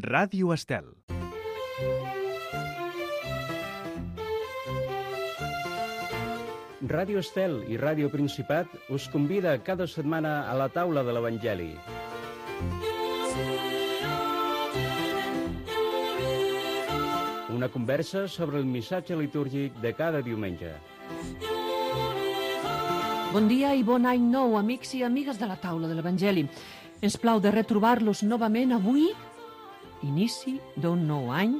Ràdio Estel. Ràdio Estel i Ràdio Principat us convida cada setmana a la taula de l'Evangeli. Una conversa sobre el missatge litúrgic de cada diumenge. Bon dia i bon any nou, amics i amigues de la taula de l'Evangeli. Ens plau de retrobar-los novament avui, inici d'un nou any,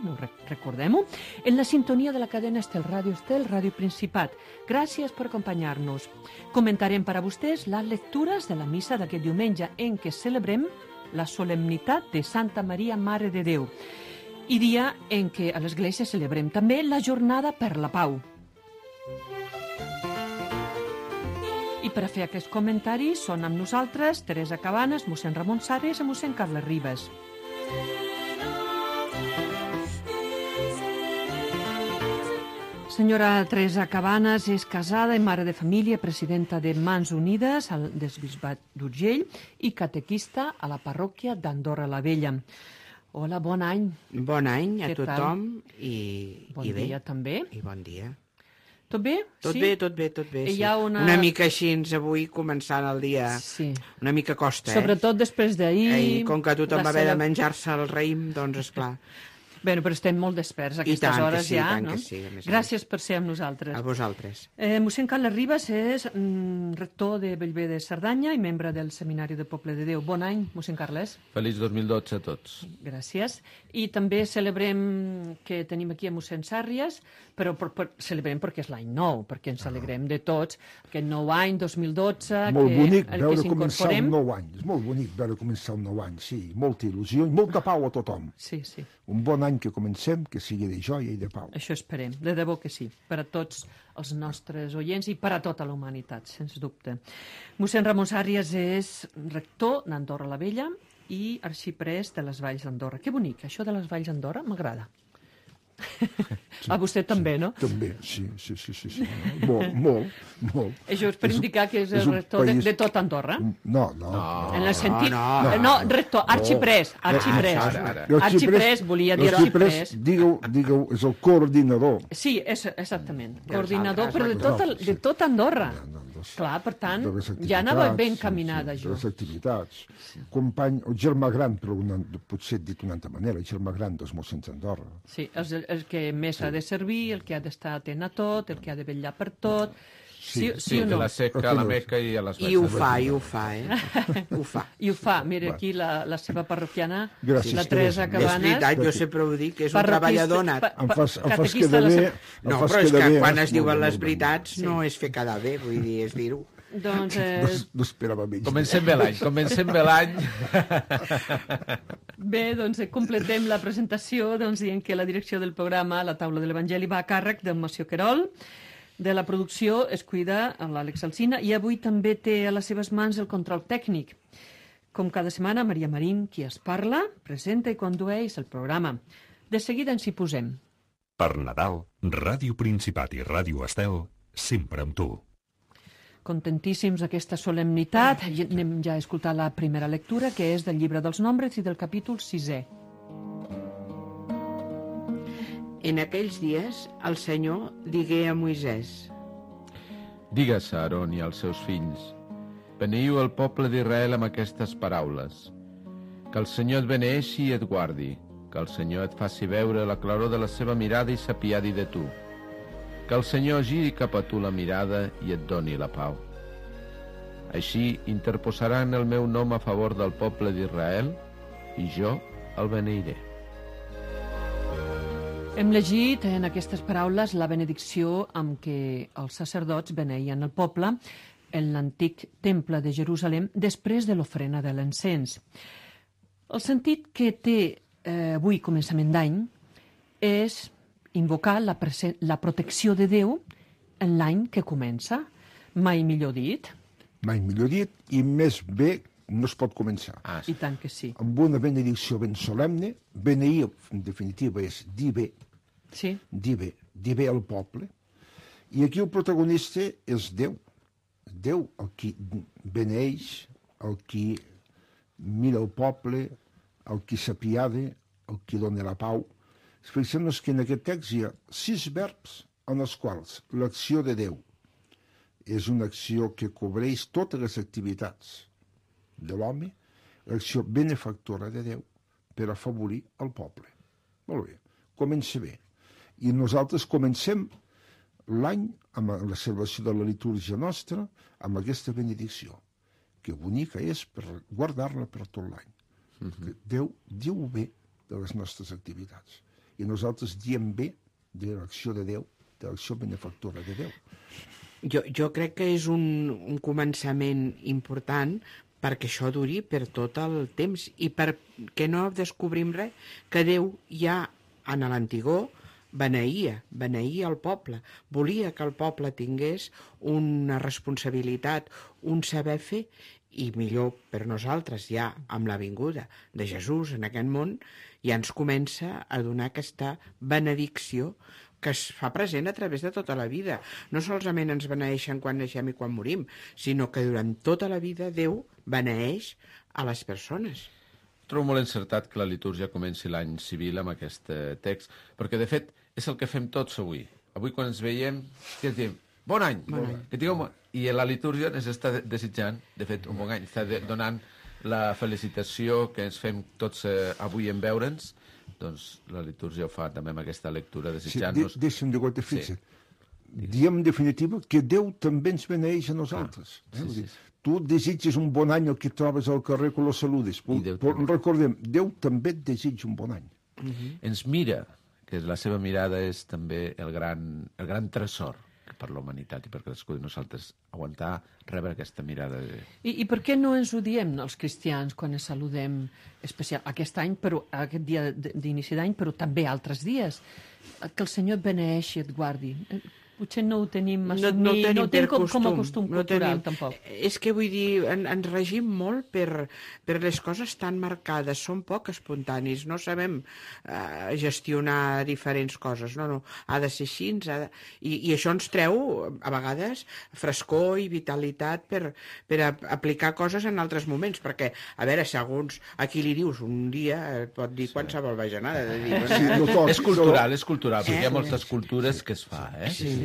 recordem-ho, en la sintonia de la cadena Estel, Ràdio Principat. Gràcies per acompanyar-nos. Comentarem per a vostès les lectures de la missa d'aquest diumenge en què celebrem la solemnitat de Santa Maria, Mare de Déu, i dia en què a l'Església celebrem també la Jornada per la Pau. I per a fer aquests comentaris són amb nosaltres Teresa Cabanes, mossèn Ramon Sarres i mossèn Carles Ribas. Senyora Teresa Cabanes és casada i mare de família, presidenta de Mans Unides del Bisbat d'Urgell i catequista a la parròquia d'Andorra la Vella. Hola, bon any. Bon any a tothom i bon bé. Dia també. I bon dia. Tot bé? Tot bé, tot bé, tot bé. Hi Sí. ha Una mica així avui començant el dia. Sí. Una mica costa, Sobretot després d'ahir. Com que tothom va haver de menjar-se el raïm, doncs esclar. Bé, però estem molt desperts a aquestes tant que hores sí, ja, tant no? que sí, a més a Gràcies per ser amb nosaltres. A vosaltres. Mossèn Carles Ribas és rector de Bellver de Cerdanya i membre del Seminari de Poble de Déu. Bon any, mossèn Carles. Feliç 2012 a tots. Gràcies. I també celebrem que tenim aquí a mossèn Sàrries, però celebrem perquè és l'any nou, perquè ens alegrem de tots, aquest nou any, 2012, molt bonic que veure començar s'incorporem. un nou any. És molt bonic veure començar un nou any, sí. Molta il·lusió i molta pau a tothom. Sí, sí. Un bon any que comencem, que sigui de joia i de pau. Això esperem, de debò que sí, per a tots els nostres oients i per a tota la humanitat, sens dubte. Mossèn Ramon Sàrries és rector d'Andorra la Vella i arxiprès de les Valls d'Andorra. Que bonic, això de les Valls d'Andorra m'agrada. Sí, A vostè també, sí, no? També, sí. Molt. Això és per indicar que és el rector de tot Andorra? No. En el sentit... no. No, rector, arxiprès. Arxiprès, volia dir arxiprès. Digueu, és el coordinador. Sí, exactament. Dels Coordinador, altres, però de tot Andorra. Clar, per tant, de les ja anava activitats, ben encaminada, de jo. les activitats. Company, o germà gran, però potser dit d'una altra manera, el germà gran dels mossens d'Andorra. Sí, el que més ha de servir, el que ha d'estar atent a tot, el que ha de vetllar per tot. Sí o De no? la Seca a la Meca i a les I ho Valls. fa, Ho fa. I ho fa. Mira, aquí la seva parroquiana, Gràcies, la Teresa Teresa. És Cabanes. veritat, jo sempre ho dic, que és un treballador nat. Em fas catequista quedar de la bé. No, però és que quan es diuen les veritats no és fer quedar bé, vull dir, és dir-ho. Doncs, No esperava menys. Comencem bé l'any. bé, doncs completem la presentació dient que la direcció del programa La Taula de l'Evangeli va a càrrec de Moció Querol. De la producció es cuida l'Àlex Alsina i avui també té a les seves mans el control tècnic. Com cada setmana, Maria Marín, qui es parla, presenta i condueix el programa. De seguida ens hi posem. Per Nadal, Ràdio Principat i Ràdio Estel, sempre amb tu. Contentíssims d'aquesta solemnitat. Anem ja a escoltar la primera lectura, que és del llibre dels Nombres i del capítol 6è. En aquells dies, el Senyor digué a Moisès: Digues a Aaron i als seus fills: Beneiu el poble d'Israel amb aquestes paraules. Que el Senyor et beneeixi i et guardi. Que el Senyor et faci veure la claror de la seva mirada i s'apiadi de tu. Que el Senyor giri cap a tu la mirada i et doni la pau. Així interposaran el meu nom a favor del poble d'Israel i jo el beneiré. Hem llegit en aquestes paraules la benedicció amb què els sacerdots beneïen el poble en l'antic temple de Jerusalem després de l'ofrena de l'encens. El sentit que té avui, començament d'any, és invocar la protecció de Déu en l'any que comença. Mai millor dit. Mai millor dit, i més bé no es pot començar. I tant que sí. Amb una benedicció ben solemne, beneir, en definitiva, és dir bé, Sí. dir bé al poble, i aquí el protagonista és Déu. Déu, el qui beneeix, el qui mira el poble, el qui s'apiada, el qui dona la pau. Fixem-nos que en aquest text hi ha 6 verbs en els quals l'acció de Déu és una acció que cobreix totes les activitats de l'home, l'acció benefactora de Déu per afavorir el poble. Molt bé, comença bé. I nosaltres comencem l'any amb la celebració de la litúrgia nostra amb aquesta benedicció, que bonica és per guardar-la per tot l'any. Déu diu bé de les nostres activitats i nosaltres diem bé de l'acció de Déu, de l'acció benefactora de Déu. Jo crec que és un començament important perquè això duri per tot el temps i perquè no descobrim res, que Déu ja en l'antigor beneïa el poble, volia que el poble tingués una responsabilitat, un saber fer, i millor per nosaltres ja amb la vinguda de Jesús en aquest món ja ens comença a donar aquesta benedicció que es fa present a través de tota la vida. No solament ens beneeixen quan naixem i quan morim, sinó que durant tota la vida Déu beneeix a les persones. Trobo molt encertat que la litúrgia comenci l'any civil amb aquest text, perquè de fet és el que fem tots avui. Avui quan ens veiem, què diem? Bon any! Que tingueu I la litúrgia ens està desitjant, de fet, un bon any. Està donant la felicitació que ens fem tots avui en veure'ns. Doncs la litúrgia ho fa també amb aquesta lectura, desitjant-nos... Sí, deixa'm de gota fixa. Diem, en definitiva, que Déu també ens beneeix a nosaltres. Tu desitges un bon any al que trobes al carrer que lo saludes. Però recordem, Déu també et desitja un bon any. Ens mira, que la seva mirada és també el gran tresor per la humanitat i per cadascú de nosaltres aguantar, rebre aquesta mirada de... I per què no ens ho diem els cristians quan ens saludem especial aquest any, però aquest dia d'inici d'any, però també altres dies? Que el Senyor et beneeixi i et guardi. Potser no ho tenim assumit, no tenim com a costum cultural, tampoc. És que vull dir, ens regim molt per les coses tan marcades, som poc espontanis, no sabem gestionar diferents coses, no, ha de ser així, i això ens treu, a vegades, frescor i vitalitat per aplicar coses en altres moments, perquè, a veure, segons a qui li dius un dia, pot dir qualsevol bajanada. És cultural, perquè hi ha moltes cultures que es fa,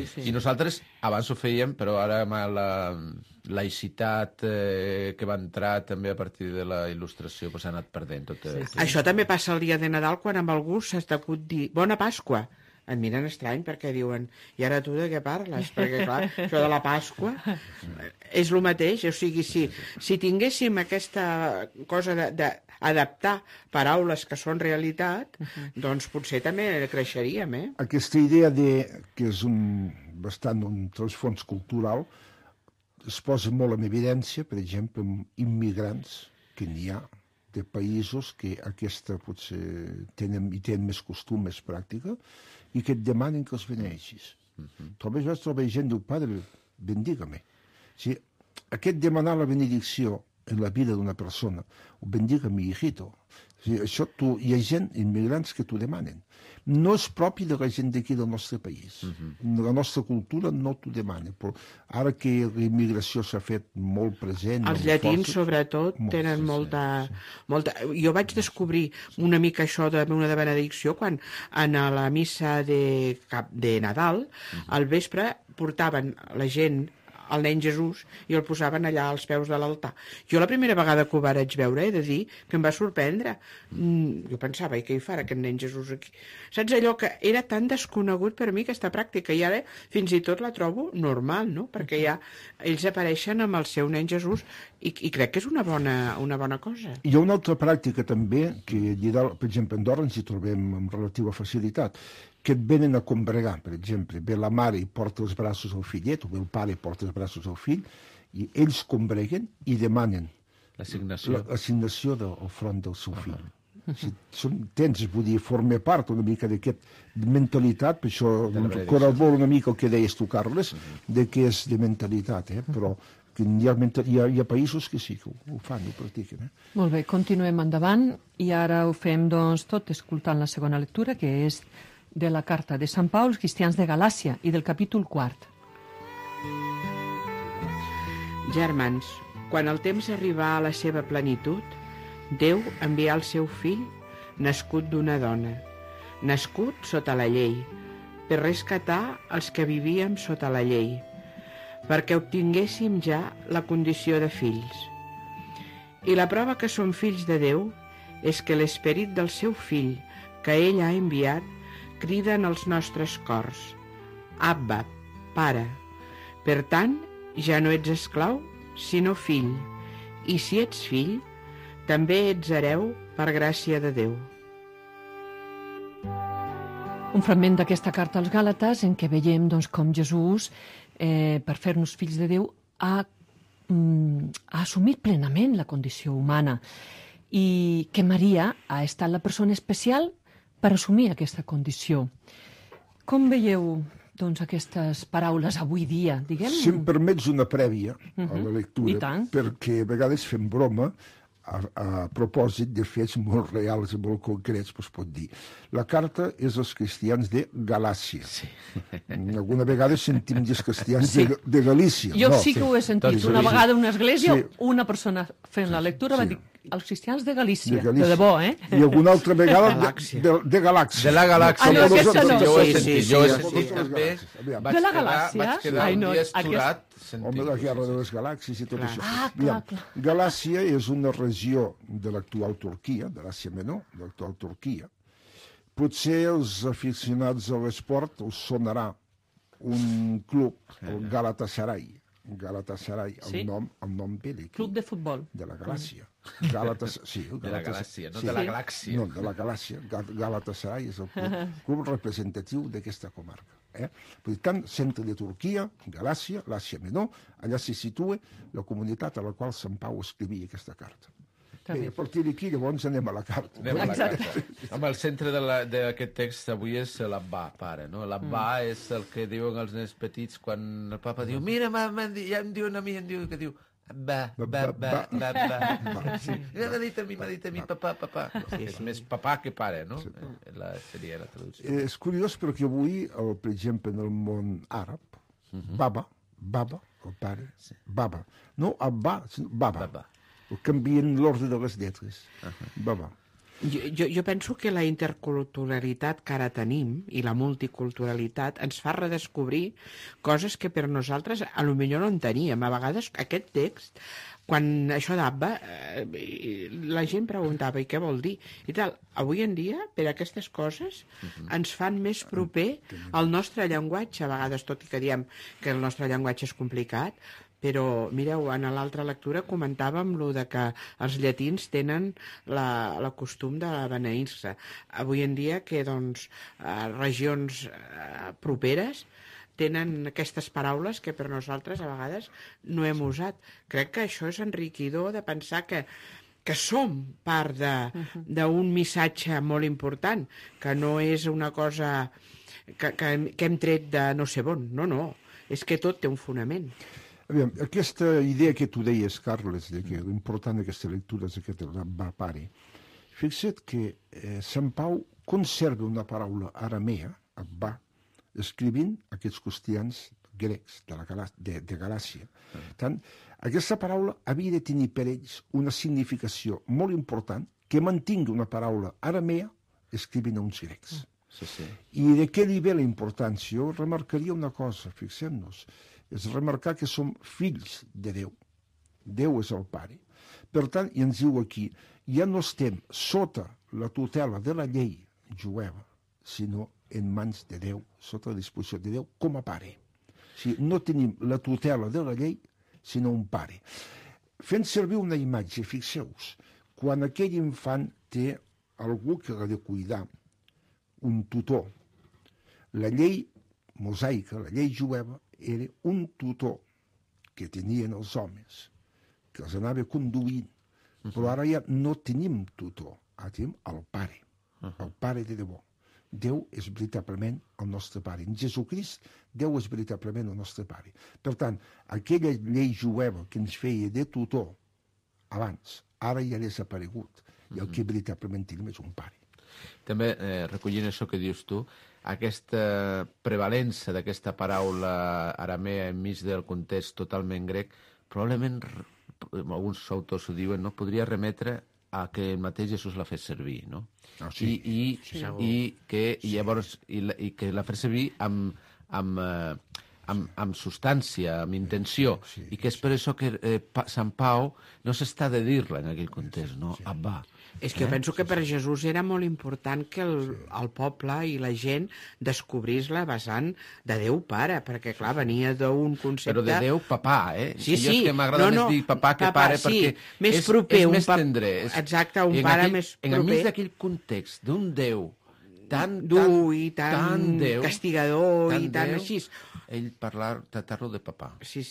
Sí. I nosaltres abans ho fèiem, però ara amb la laïcitat que va entrar també a partir de la il·lustració s'ha anat perdent tot. Això també passa el dia de Nadal quan amb algú s'ha estat dir Bona Pasqua. Et miren estrany perquè diuen i ara tu de què parles? Perquè clar, això de la Pasqua és el mateix, o sigui, si tinguéssim aquesta cosa d'adaptar paraules que són realitat, doncs potser també creixeríem, Aquesta idea que és bastant un trasfons cultural es posa molt en evidència, per exemple, amb immigrants que n'hi ha de països que aquesta potser tenen més costum, més pràctica, i que et demanen que els beneeixis. Troba gent, diu, Padre, bendiga-me. Aquest demanar la benedicció en la vida d'una persona, o bendiga-me, hijito, això hi ha gent, immigrants, que t'ho demanen. No és propi de la gent d'aquí del nostre país. La nostra cultura no t'ho demana, però ara que la immigració s'ha fet molt present... Els llatins, sobretot, tenen molta... Jo vaig descobrir una mica això d'una de benedicció quan en la missa de Nadal, al vespre, portaven la gent el nen Jesús i el posaven allà als peus de l'altar. Jo la primera vegada que ho vaig veure he de dir que em va sorprendre. Jo pensava, i què hi farà aquest nen Jesús aquí? Saps allò que era tan desconegut per mi aquesta pràctica i ara fins i tot la trobo normal, no? Perquè ja ells apareixen amb el seu nen Jesús i crec que és una bona cosa. Hi ha una altra pràctica també que, per exemple, a Andorra ens hi trobem amb relativa facilitat, que et venen a combregar, per exemple. Ve la mare i porta els braços al fillet, o ve el pare i porta els braços al fill, i ells combreguen i demanen l'assignació del front del seu fill. Vull dir, forma part una mica d'aquesta mentalitat, per això corroboro una mica el que deies tu, Carles, de que és de mentalitat, però hi ha països que sí que ho fan, ho practiquen. Molt bé, continuem endavant, i ara ho fem doncs tot escoltant la segona lectura, que és de la carta de Sant Pau als cristians de Galàcia i del capítol 4. Germans, quan el temps arribà a la seva plenitud, Déu envià el seu fill nascut d'una dona, nascut sota la llei, per rescatar els que vivíem sota la llei, perquè obtinguéssim ja la condició de fills. I la prova que som fills de Déu és que l'esperit del seu fill, que ell ha enviat, crida en els nostres cors: Abba, Pare. Per tant, ja no ets esclau, sinó fill, i si ets fill, també ets hereu per gràcia de Déu. Un fragment d'aquesta carta als Gàlates en què veiem doncs, com Jesús, per fer-nos fills de Déu, ha assumit plenament la condició humana i que Maria ha estat la persona especial per assumir aquesta condició. Com veieu doncs, aquestes paraules avui dia, diguem? Si em permets una prèvia a la lectura, perquè a vegades fem broma a propòsit de fets molt reals i molt concrets, es pot dir. La carta és als cristians de Galàcia. Sí. Alguna vegada sentim dir els cristians de Galícia. Jo sí que ho he sentit. Una vegada a una església, una persona fent la lectura va dir els cristians de Galícia. De debò, eh? I alguna altra vegada de Galàxia. De la Galàxia. No, aquesta no. Jo ho he sentit també. De la Galàcia? Vaig quedar un dia esturat. Home, la guerra de les galàxies i tot això. Clar. Galàcia és una regió de l'actual Turquia, de l'Àsia Menor, de l'actual Turquia. Potser els aficionats a l'esport us sonarà un club, el Galatasaray. Galatasaray, el nom bèl·lic. Club de futbol. De la Galàcia. De la Galàcia, no de la Galàxia. No, de la Galàcia. Galatasaray és el club representatiu d'aquesta comarca. Per tant, centre de Turquia, Galàcia, l'Àsia Menor, allà se situa la comunitat a la qual Sant Pau escrivia aquesta carta. Bé, a partir d'aquí, llavors anem a la carta. Home, el centre d'aquest text avui és l'Abbà, pare, no? L'Abbà és el que diuen els nens petits quan el papa diu: mira, ja em diuen a mi, que diu M'ha dit a mi, papà. És més papà que pare, no? Seria la traducció. És curiós perquè avui, per exemple, en el món àrab, baba, el pare, baba. No Abbà, sinó baba. Canvien l'ordre de les lletres. Baba. Jo penso que la interculturalitat que ara tenim i la multiculturalitat ens fa redescobrir coses que per nosaltres a lo millor no en teníem. A vegades aquest text, quan això d'Abba, la gent preguntava i què vol dir i tal. Avui en dia, per aquestes coses, ens fan més proper al nostre llenguatge, a vegades, tot i que diem que el nostre llenguatge és complicat, però, mireu, en l'altra lectura comentàvem lo de que els llatins tenen la costum de beneir-se. Avui en dia que, doncs, regions properes tenen aquestes paraules que per nosaltres a vegades no hem usat. Crec que això és enriquidor de pensar que som part d'un missatge molt important, que no és una cosa que hem tret de no sé on. No, és que tot té un fonament. Aviam, aquesta idea que tu deies, Carles, de que l'important d'aquesta lectura és aquest Abbà, pare. Fixa't que Sant Pau conserva una paraula aramea, Abbà, escrivint aquests cristians grecs de Galàcia. Tant, aquesta paraula havia de tenir per ells una significació molt important que mantingui una paraula aramea escrivint a uns grecs. I de què li ve la importància? Jo remarcaria una cosa, fixem-nos, és remarcar que som fills de Déu. Déu és el Pare. Per tant, i ens diu aquí, ja no estem sota la tutela de la llei jueva, sinó en mans de Déu, sota la disposició de Déu com a Pare. O sigui, no tenim la tutela de la llei, sinó un Pare. Fent servir una imatge, fixeu-vos, quan aquell infant té algú que l'ha de cuidar, un tutor, la llei mosaica, la llei jueva, era un tutor que tenien els homes, que els anava conduint. Però ara ja no tenim tutor, ara tenim el Pare, el Pare de debò. Déu és veritablement el nostre Pare. En Jesucrist, Déu és veritablement el nostre Pare. Per tant, aquella llei jueva que ens feia de tutor abans, ara ja ha desaparegut. I el que veritablement tenim és un Pare. També, recollint això que dius tu, aquesta prevalença d'aquesta paraula aramea enmig del context totalment grec, probablement, alguns autors ho diuen, no podria remetre a que el mateix Jesús la fes servir, no? Ah, sí. I que llavors i que la fes servir amb substància, amb intenció, i que és per això que Sant Pau no s'està de dir-la en aquell context, no? Abba. És que jo penso que per Jesús era molt important que el poble i la gent descobrís la vessant de Déu Pare, perquè, clar, venia d'un concepte... Però de Déu papà, eh? Sí, jo és que m'agrada més dir papà que pare, perquè més proper, és més tendre. Exacte, un pare més proper. Enmig d'aquell context d'un Déu tan dur i tan Déu, castigador tan i tan Déu, així. Ell tractar-lo de papà. Sí,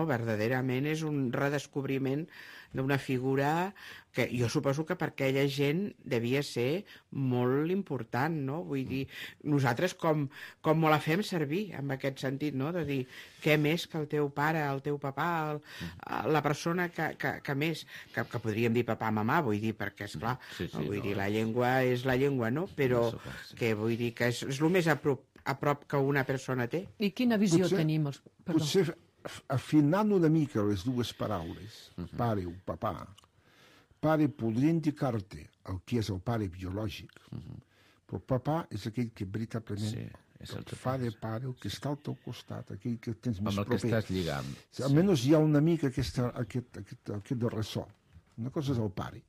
verdaderament és un redescobriment d'una figura que jo suposo que per aquella gent devia ser molt important, no? Vull dir, nosaltres com la fem servir en aquest sentit, no? De dir, què més que el teu pare, el teu papà, la persona que més, que podríem dir papà, mamà, vull dir, perquè, esclar, vull dir, la llengua és la llengua, no? Però que vull dir que és el més a prop que una persona té. I quina visió tenim? Potser afinant una mica les dues paraules, pare o papà, pare podria indicar-te el que és el pare biològic, però papà és aquell que veritablement et fa de pare, el que està al teu costat, aquell que tens més proper. Amb el que estàs lligant. Almenys hi ha una mica aquest de ressò. Una cosa és el pare,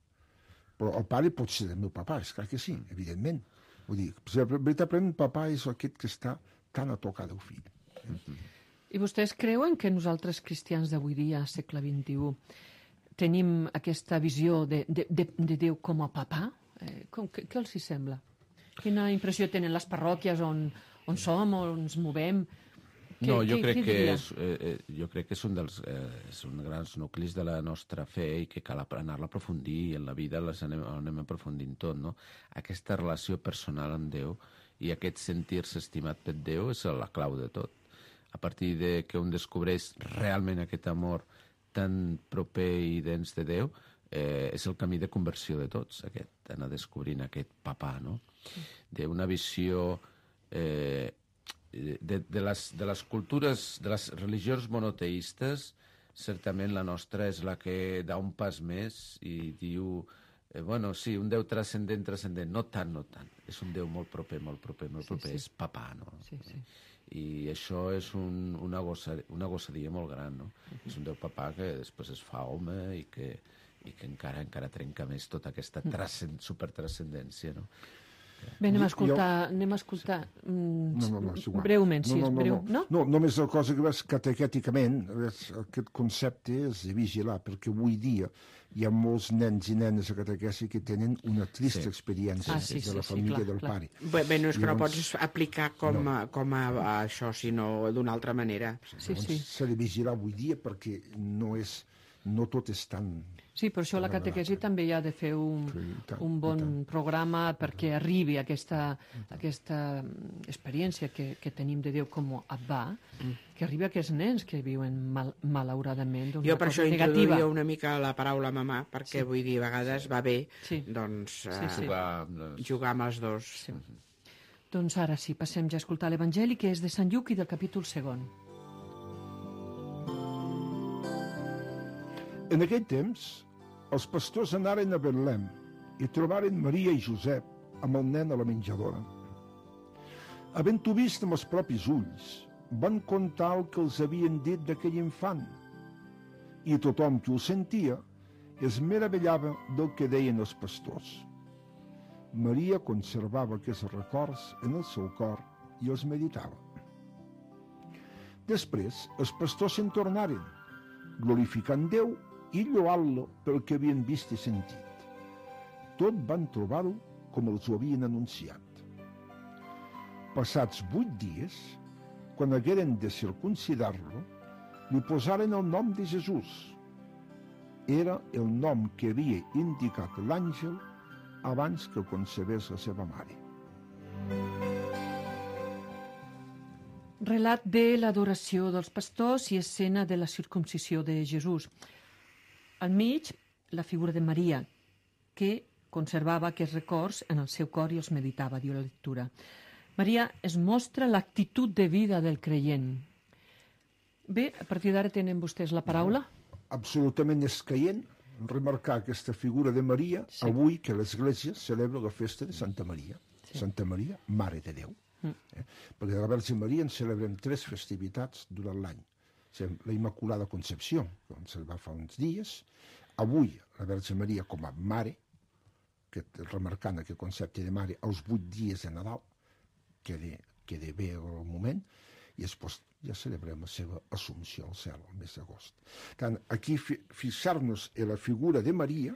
però el pare pot ser del meu papà, és clar que sí, evidentment. Vull dir, veritablement papà és aquest que està tan a tocar del fill. I vostès creuen que nosaltres, cristians d'avui dia, segle XXI, tenim aquesta visió de Déu com a papà? Què els hi sembla? Quina impressió tenen les parròquies on som, on ens movem? No, jo crec que és un dels grans nuclis de la nostra fe i que cal anar-la a aprofundir, i en la vida anem aprofundint tot, no? Aquesta relació personal amb Déu i aquest sentir-se estimat per Déu és la clau de tot. A partir de que un descobreix realment aquest amor tan proper i dens de Déu, és el camí de conversió de tots, anar descobrint aquest papà, no? D'una visió de les cultures, de les religions monoteistes, certament la nostra és la que dà un pas més i diu, sí, un Déu transcendent, no tant, és un Déu molt proper, és papà, no? I això és una gossadia molt gran, no? És un Déu papà que després es fa home i que encara trenca més tota aquesta supertranscendència, no? Bé, anem a escoltar breument, si és breu, no? No, només la cosa que veus catequèticament, aquest concepte és de vigilar, perquè avui dia hi ha molts nens i nenes a catequesi que tenen una trista experiència de la família del pare. Bé, no és que no pots aplicar com a això, sinó d'una altra manera. S'ha de vigilar avui dia perquè no tot és tan... Sí, per això la catequesi també hi ha de fer un bon programa perquè arribi aquesta experiència que tenim de Déu com a Abba, que arribi a aquests nens que viuen malauradament d'una cosa negativa. Jo per això introduïa una mica la paraula mamà, perquè vull dir, a vegades va bé jugar amb els dos. Doncs ara sí, passem ja a escoltar l'Evangeli, que és de Sant Lluc i del capítol 2. En aquell temps, els pastors anaren a Betlem i trobaren Maria i Josep amb el nen a la menjadora. Havent-ho vist amb els propis ulls, van contar el que els havien dit d'aquell infant, i tothom que ho sentia es meravellava del que deien els pastors. Maria conservava aquests records en el seu cor i els meditava. Després, els pastors se'n tornaren, glorificant Déu i lloant-lo pel que havien vist i sentit. Tot van trobar-ho com els ho havien anunciat. Passats 8 dies, quan hagueren de circumcidar-lo, li posaren el nom de Jesús. Era el nom que havia indicat l'àngel abans que concebés la seva mare. Relat de l'adoració dels pastors i escena de la circumcisió de Jesús. Al mig, la figura de Maria, que conservava aquests records en el seu cor i els meditava, diu la lectura. Maria es mostra l'actitud de vida del creient. Bé, a partir d'ara tenen vostès la paraula. Absolutament escaient, remarcar aquesta figura de Maria avui que l'Església celebra la festa de Santa Maria. Santa Maria, Mare de Déu. Perquè de la Verge Maria en celebrem 3 festivitats durant l'any. La Immaculada Concepció, que vam celebrar fa uns dies, avui la Verge Maria com a Mare, remarcant aquest concepte de Mare als 8 dies de Nadal, queda bé el moment, i després ja celebrem la seva Assumpció al cel, el mes d'agost. Tant aquí fixar-nos en la figura de Maria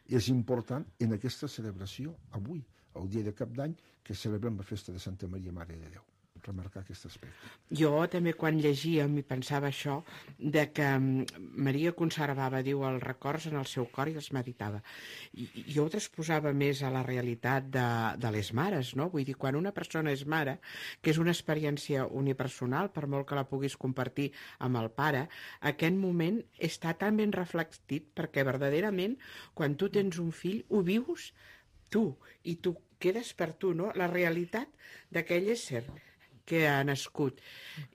és important en aquesta celebració avui, el dia de Cap d'Any, que celebrem la festa de Santa Maria, Mare de Déu. Remarcar aquest aspecte. Jo també quan llegíem i pensava això, de que Maria conservava, diu, els records en el seu cor i els meditava. I jo ho transposava més a la realitat de les mares, no? Vull dir, quan una persona és mare, que és una experiència unipersonal, per molt que la puguis compartir amb el pare, aquest moment està tan ben reflectit perquè verdaderament, quan tu tens un fill, ho vius tu, i tu quedes per tu, no? La realitat d'aquell ésser que ha nascut.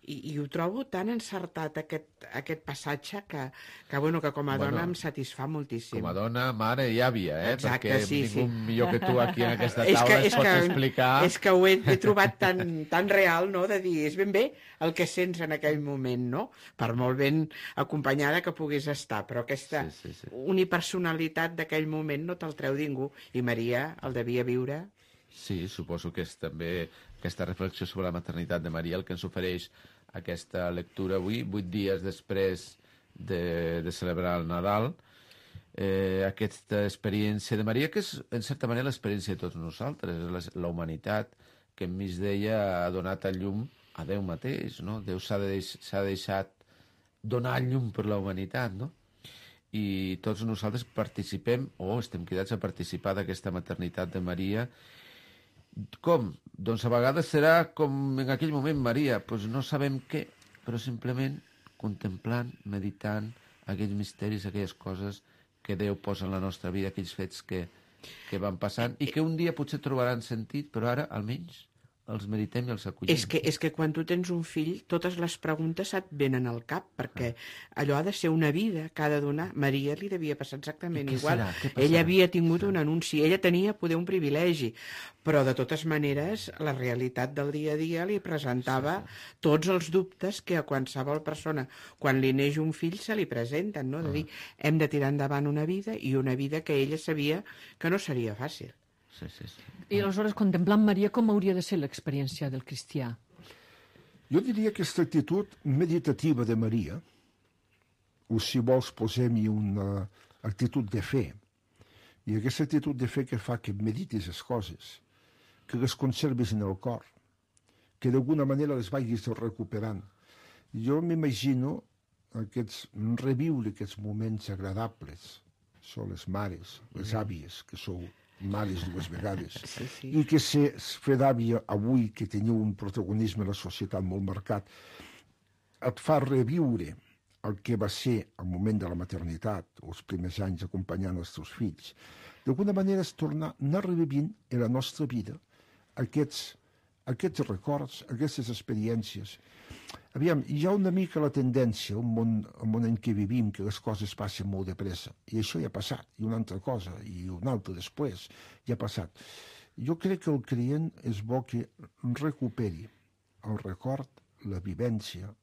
I ho trobo tan encertat, aquest passatge, que com a dona em satisfà moltíssim. Com a dona, mare i àvia, Exacte, perquè ningú millor que tu aquí en aquesta taula és pots explicar... És que ho he trobat tan real, no?, de dir, és ben bé el que sents en aquell moment, no?, per molt ben acompanyada que puguis estar, però aquesta unipersonalitat d'aquell moment no te'l treu ningú, i Maria el devia viure. Sí, suposo que és també aquesta reflexió sobre la maternitat de Maria el que ens ofereix aquesta lectura avui, 8 dies després de celebrar el Nadal, aquesta experiència de Maria, que és, en certa manera, l'experiència de tots nosaltres, la humanitat, que enmig d'ella ha donat a llum a Déu mateix, no? Déu s'ha deixat donar llum per la humanitat, no? I tots nosaltres participem, o estem cridats a participar d'aquesta maternitat de Maria. Com? Doncs a vegades serà com en aquell moment Maria, doncs no sabem què, però simplement contemplant, meditant aquells misteris, aquelles coses que Déu posa en la nostra vida, aquells fets que van passant i que un dia potser trobaran sentit, però ara almenys els meditem i els acollim. És que quan tu tens un fill, totes les preguntes et venen al cap, perquè allò ha de ser una vida que ha de donar. Maria li devia passar exactament igual. Ella havia tingut un anunci, ella tenia poder un privilegi, però de totes maneres la realitat del dia a dia li presentava tots els dubtes que a qualsevol persona, quan li neix un fill, se li presenten, no? De dir, hem de tirar endavant una vida, i una vida que ella sabia que no seria fàcil. Sí. I aleshores, contemplant Maria, com hauria de ser l'experiència del cristià? Jo diria que aquesta actitud meditativa de Maria, o si vols posem-hi una actitud de fe, i aquesta actitud de fe que fa que meditis les coses, que les conservis en el cor, que d'alguna manera les vagis recuperant. Jo m'imagino reviure aquests moments agradables. Són les mares, les àvies, que sou mares 2 vegades, i que fer d'àvia avui, que teniu un protagonisme en la societat molt marcat, et fa reviure el que va ser el moment de la maternitat, els primers anys acompanyant els teus fills. D'alguna manera és anar revivint en la nostra vida aquests records, aquestes experiències. Aviam, hi ha una mica la tendència, el món en què vivim, que les coses passen molt de pressa, i això ja ha passat, i una altra cosa, i una altra després, ja ha passat. Jo crec que el creient és bo que recuperi el record, la vivència,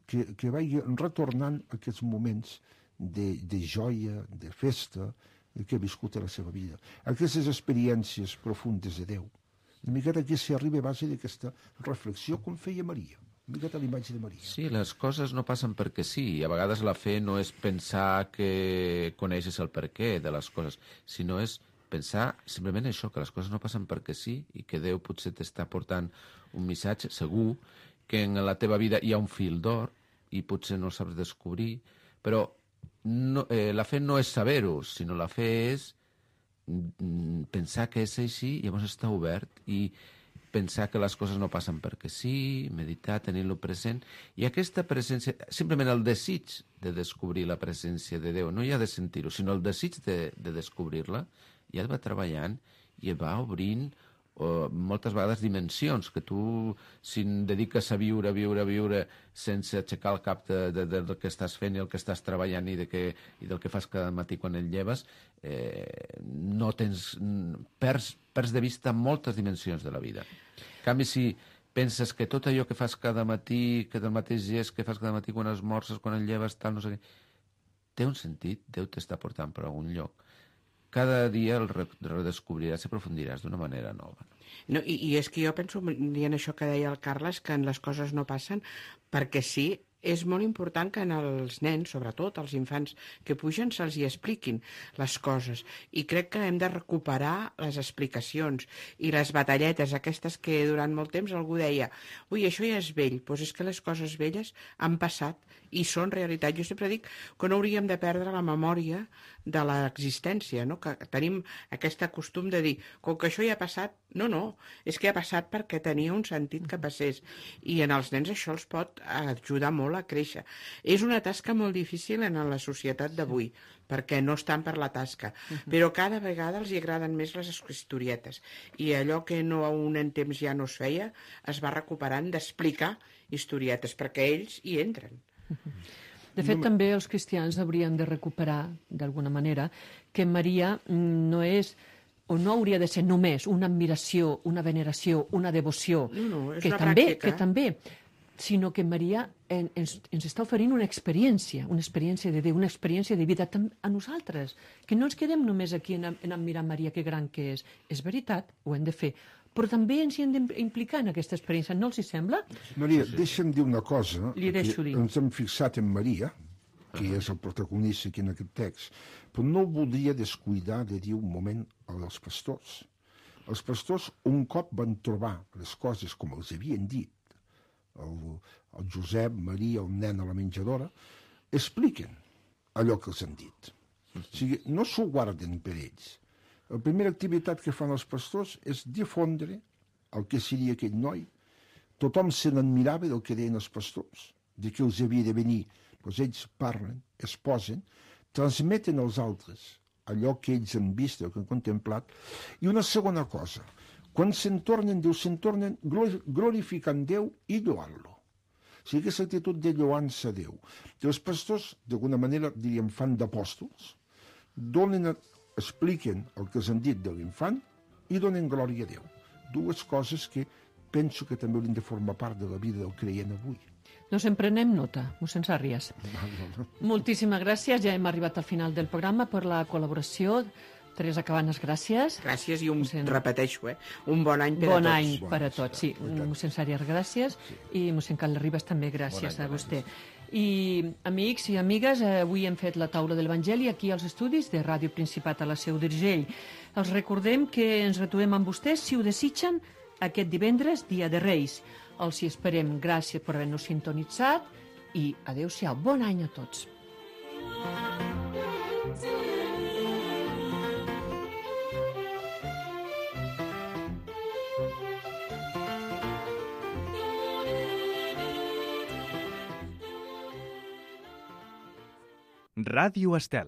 que vagi retornant aquests moments de joia, de festa, que ha viscut a la seva vida. Aquestes experiències profundes de Déu. Una miqueta aquí s'arriba a base d'aquesta reflexió com feia Maria. Una miqueta l'imatge de Maria. Sí, les coses no passen perquè sí. A vegades la fe no és pensar que coneixes el perquè de les coses, sinó és pensar simplement això, que les coses no passen perquè sí i que Déu potser t'està portant un missatge segur, que en la teva vida hi ha un fil d'or i potser no el saps descobrir, però la fe no és saber-ho, sinó la fe és pensar que és així, llavors està obert i pensar que les coses no passen perquè sí, meditar, tenir-lo present, i aquesta presència, simplement el desig de descobrir la presència de Déu, no hi ha de sentir-ho, sinó el desig de descobrir-la, ja et va treballant i et va obrint o moltes vegades dimensions, que tu, si et dediques a viure, sense aixecar el cap del que estàs fent i el que estàs treballant i del que fas cada matí quan et lleves, no tens... Perds de vista moltes dimensions de la vida. En canvi, si penses que tot allò que fas cada matí, que del mateix gest que fas cada matí quan esmorces, quan et lleves, tal, no sé què, té un sentit, Déu t'està portant per algun lloc. Cada dia el redescobriràs i aprofundiràs d'una manera nova. No, i és que jo penso, dient això que deia el Carles, que les coses no passen perquè sí. És molt important que els nens, sobretot els infants que pugen, se'ls hi expliquin les coses. I crec que hem de recuperar les explicacions i les batalletes aquestes que durant molt temps algú deia ui, això ja és vell. Doncs és que les coses velles han passat i són realitat. Jo sempre dic que no hauríem de perdre la memòria de l'existència, no? Que tenim aquest costum de dir com que això ja ha passat, no, és que ha passat perquè tenia un sentit que passés. I en els nens això els pot ajudar molt a créixer. És una tasca molt difícil en la societat d'avui, perquè no estan per la tasca, però cada vegada els agraden més les historietes. I allò que no a un temps ja no es feia, es va recuperant d'explicar historietes, perquè ells hi entren. De fet, també els cristians haurien de recuperar, d'alguna manera, que Maria no és o no hauria de ser només una admiració, una veneració, una devoció, No, és que una també, pràctica. sinó que Maria ens està oferint una experiència de Déu, una experiència de vida a nosaltres, que no ens quedem només aquí en admirar Maria, que gran que és. És veritat, ho hem de fer, però també ens hi hem d'implicar en aquesta experiència, no els hi sembla? Maria, deixa'm dir una cosa. Li deixo dir. Ens hem fixat en Maria, que és el protagonista aquí en aquest text, però no voldria descuidar de dir un moment als pastors. Els pastors un cop van trobar les coses com els havien dit, el Josep, Maria, el nen a la menjadora, expliquen allò que els han dit. O sigui, no s'ho guarden per ells. La primera activitat que fan els pastors és difondre el que seria aquell noi. Tothom se n'admirava del que deien els pastors, de què els havia de venir. Doncs ells parlen, es posen, transmeten als altres allò que ells han vist, el que han contemplat. I una segona cosa, quan se'n tornen, glorificant Déu i lloant-lo. O sigui, aquesta actitud de lloança a Déu. I els pastors, d'alguna manera, diríem, fan d'apòstols, expliquen el que els han dit de l'infant i donen glòria a Déu. Dues coses que penso que també haurien de formar part de la vida del creient avui. Doncs en prenem nota, mossèn Sàrries. Moltíssimes gràcies, ja hem arribat al final del programa per la col·laboració. Teresa Cabanes, gràcies. Gràcies i repeteixo, un bon any per a tots. Bon any per a tots, sí. Mossèn Sàrries, gràcies. I mossèn Carles Ribas també, gràcies a vostè. I amics i amigues, avui hem fet la taula de l'Evangeli aquí als estudis de Ràdio Principat a la Seu d'Urgell. Els recordem que ens retrobem amb vostès, si ho desitgen, aquest divendres, dia de Reis. Els hi esperem. Gràcies per haver-nos sintonitzat i adéu-siau. Bon any a tots. Ràdio Estel.